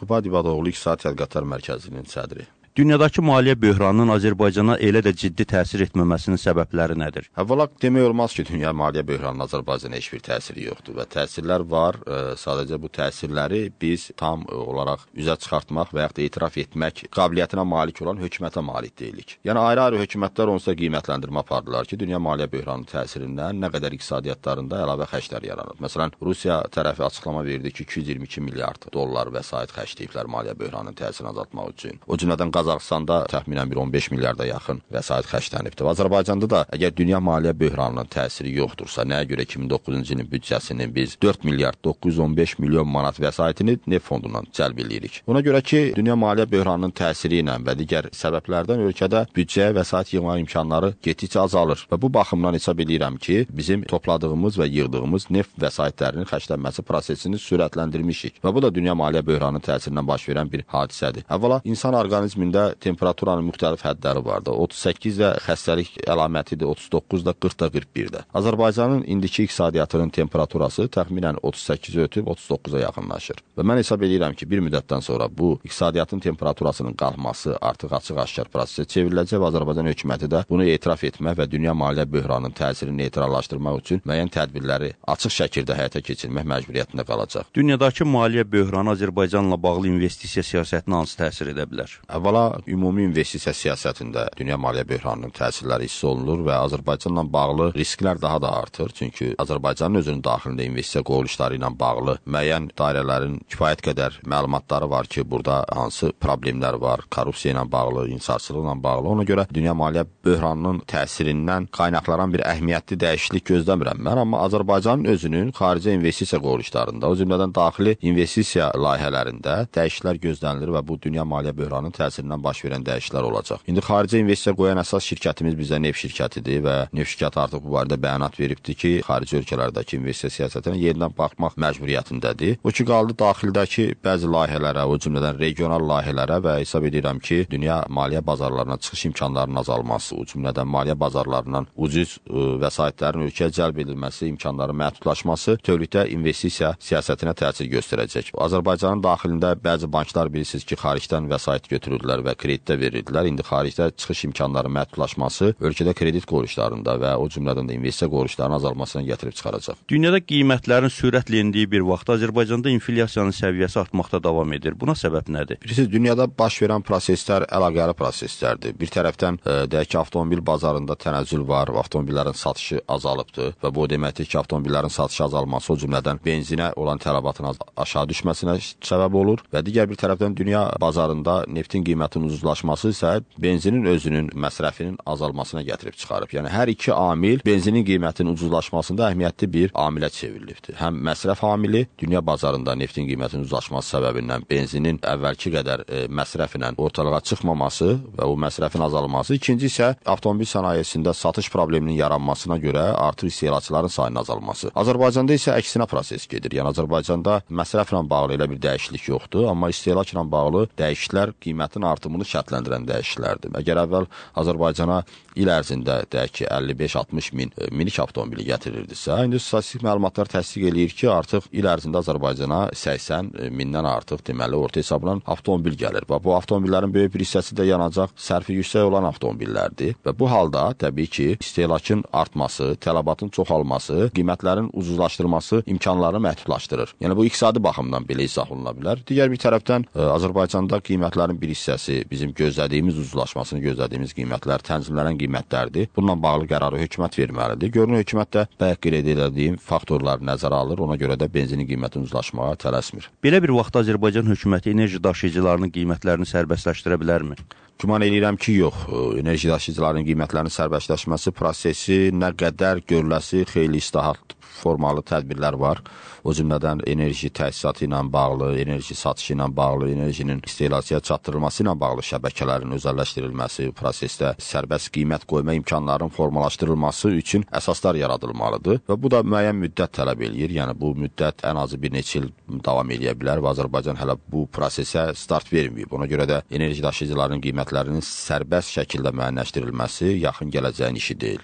Qubad İbadoğlu İqtisadi Tədqiqatlar Mərkəzinin sədri. Dünyadakı maliyyə böhranının Azərbaycana elə də ciddi təsir etməməsinin səbəbləri nədir? Əvvəla demək olmaz ki, dünya maliyyə böhranının Azərbaycana heç bir təsiri yoxdur və təsirlər var. Sadəcə bu təsirləri biz tam olaraq üzə çıxartmaq və yaxud da etiraf etmək qabiliyyətinə malik olan hökumətə malik deyilik. Yəni ayrı-ayrı hökumətlər onsuz da qiymətləndirmə apardılar ki, dünya maliyyə böhranının təsirindən nə qədər iqtisadiyyatlarında əlavə xərclər yaranır. Məsələn, Rusiya tərəfi açıqlama verdi ki, 222 milyard dollar vəsait xərcləyiblər maliyyə böhranının təsirini azaltmaq üçün. O cümlədən Qazaxıstanda təxminən bir 15 milyarda yaxın vəsait xərclənibdir. Azərbaycanda da əgər dünya maliyyə böhranının təsiri yoxdursa, nəyə görə 2009-cu ilin büdcəsinin biz 4 milyard 915 milyon manat vəsaitini neft fondundan cəlb edirik. Ona görə ki, dünya maliyyə böhranının təsiri ilə və digər səbəblərdən ölkədə büdcəyə vəsait yığma imkanları getdikcə azalır və bu baxımdan hesab edirəm ki, bizim topladığımız və yığdığımız neft vəsaitlərinin xərclənməsi prosesini sürətləndirmişik və bu da dünya maliyyə böhranının təsirindən baş verən bir hadisədir. Əvvəla, insan orqanizmində temperaturanın müxtəlif hədləri vardır. 38 də xəstəlik əlamətidir, 39 da 40 da 41 də. Azərbaycanın indiki iqtisadiyyatının temperaturası təxminən 38-i ötüb 39-a yaxınlaşır. Və mən hesab edirəm ki, bir müddətdən sonra bu iqtisadiyyatın temperaturasının qalxması artıq açıq-aşkar prosesə çevriləcək və Azərbaycan hökuməti də bunu etiraf etmək və dünya maliyyə böhranının təsirini neytrallaşdırmaq üçün müəyyən tədbirləri açıq şəkildə həyata keçirmək məcburiyyətində qalacaq. Dünyadakı maliyyə böhranı Azərbaycanla bağlı investisiya siyasətinə hansı təsir edə bilər? Əvvəla, ümumi investisiya siyasətində dünya maliyyə böhranının təsirləri hiss olunur və Azərbaycanla bağlı risklər daha da artır. Çünki Azərbaycanın özünün daxilində investisiya quruluşları ilə bağlı müəyyən dairələrin kifayət qədər məlumatları var ki, burada hansı problemlər var, korrupsiya ilə bağlı, inhisarçılıqla bağlı. Ona görə dünya maliyyə böhranının təsirindən qaynaqlanan bir əhəmiyyətli dəyişiklik gözləmirəm mən, amma Azərbaycanın özünün xarici investisiya quruluşlarında, o cümlədən daxili investisiya layihələrində dəyişikliklər gözlənilir və bu dünya maliyyə böhranının təsirindən baş verən dəyişikliklər olacaq. İndi xarici investisiya qoyan əsas şirkətimiz bizə neft şirkətidir və neft şirkəti artıq bu barədə bəyanat veribdir ki, xarici ölkələrdəki investisiya siyasətinə yenidən baxmaq məcburiyyətindədir. O ki, qaldı daxildəki bəzi layihələrə, o cümlədən regional layihələrə və hesab edirəm ki, dünya maliyyə bazarlarına çıxış imkanlarının azalması, o cümlədən maliyyə bazarlarından ucuz vəsaitlərin ölkəyə cəlb edilməsi, imkanların məhdudlaşması bütövlükdə investisiya siyasətinə təsir göstərəcək. Azərbaycanın daxilində bəzi banklar bilirsiniz ki, xaricdən vəsait götürürdülər və kreditdə verirdilər. İndi xaricdə çıxış imkanları məhdudlaşması ölkədə kredit quruluşlarında və o cümlədən də investisiya quruluşlarının azalmasına gətirib çıxaracaq. Dünyada qiymətlərin sürətlə endiyi bir vaxtda Azərbaycanda inflyasiyanın səviyyəsi artmaqda davam edir. Buna səbəb nədir? Bilirsiniz, dünyada baş verən proseslər əlaqəli proseslərdir. Bir tərəfdən deyək ki, avtomobil bazarında tənəzzül var, avtomobillərin satışı azalıbdır və bu deməkdir ki, avtomobillərin satışı azalması o cümlədən benzinə olan tələbatın aşağı düşməsinə səbəb olur və digər bir tərəfdən dünya bazarında neftin qiymətinin ucuzlaşması isə benzinin özünün məsrəfinin azalmasına gətirib çıxarıb. Yəni, hər iki amil benzinin qiymətinin ucuzlaşmasında əhəmiyyətli bir amilə çevrilibdir. Həm məsrəf amili, dünya bazarında neftin qiymətinin ucuzlaşması səbəbindən benzinin əvvəlki qədər məsrəflə ortalığa çıxmaması və o məsrəfin azalması. İkinci isə avtomobil sənayesində satış probleminin yaranmasına görə artıq istehlakçıların sayının azalması. Azərbaycanda isə əksinə proses gedir. Yəni, Azərbaycanda məsrəflə bağlı elə bir dəyişiklik yoxdur, amma istehlakla bağlı dəyişikliklər qiymətin artımını şərtləndirən dəyişikliklərdir. Əgər əvvəl Azərbaycana il ərzində deyək ki, 55-60 min minik avtomobili gətirirdisə, indi statistik məlumatlar təsdiq eləyir ki, artıq il ərzində Azərbaycana 80 mindən artıq deməli orta hesabla avtomobil gəlir və bu avtomobillərin böyük bir hissəsi də yanacaq sərfi yüksək olan avtomobillərdir və bu halda təbii ki, istehlakın artması, tələbatın çoxalması, qiymətlərin ucuzlaşdırması imkanlarını məhdudlaşdırır. Yəni, bu iqtisadi baxımdan belə izah oluna bilər. Digər bir tərəfdən Azərbaycanda qiymətlərin bir hissəsi bizim gözlədiyimiz ucuzlaşmasını gözlədiyimiz qiymətlər tənzimlənən qiymətlərdir. Bununla bağlı qərarı hökumət verməlidir. Görünür, hökumət də bayaq qeyd edildiyim faktorları nəzərə alır. Ona görə də benzinin qiymətinin ucuzlaşmağa tələsmir. Belə bir vaxtda Azərbaycan hökuməti enerji daşıyıcılarının qiymətlərini sərbəstləşdirə bilərmi? Güman edirəm ki, yox. Enerji daşıyıcılarının qiymətlərinin sərbəstləşməsi prosesi nə qədər görüləsi xeyli islahat formalı tədbirlər var. O cümlədən enerji təsisatı ilə bağlı, enerji satışı ilə bağlı, enerjinin istehlakçıya çatdırılması ilə bağlı şəbəkələrin özəlləşdirilməsi, prosesdə sərbəst qiymət qoyma imkanlarının formalaşdırılması üçün əsaslar yaradılmalıdır və bu da müəyyən müddət tələb eləyir. Yəni, bu müddət ən azı bir neçə il davam edə bilər və Azərbaycan hələ bu prosesə start verməyib. Ona görə də enerji daşıyıcılarının qiymətlərinin sərbəst şəkildə müəyyənləşdirilməsi yaxın gələcəyin işi deyil.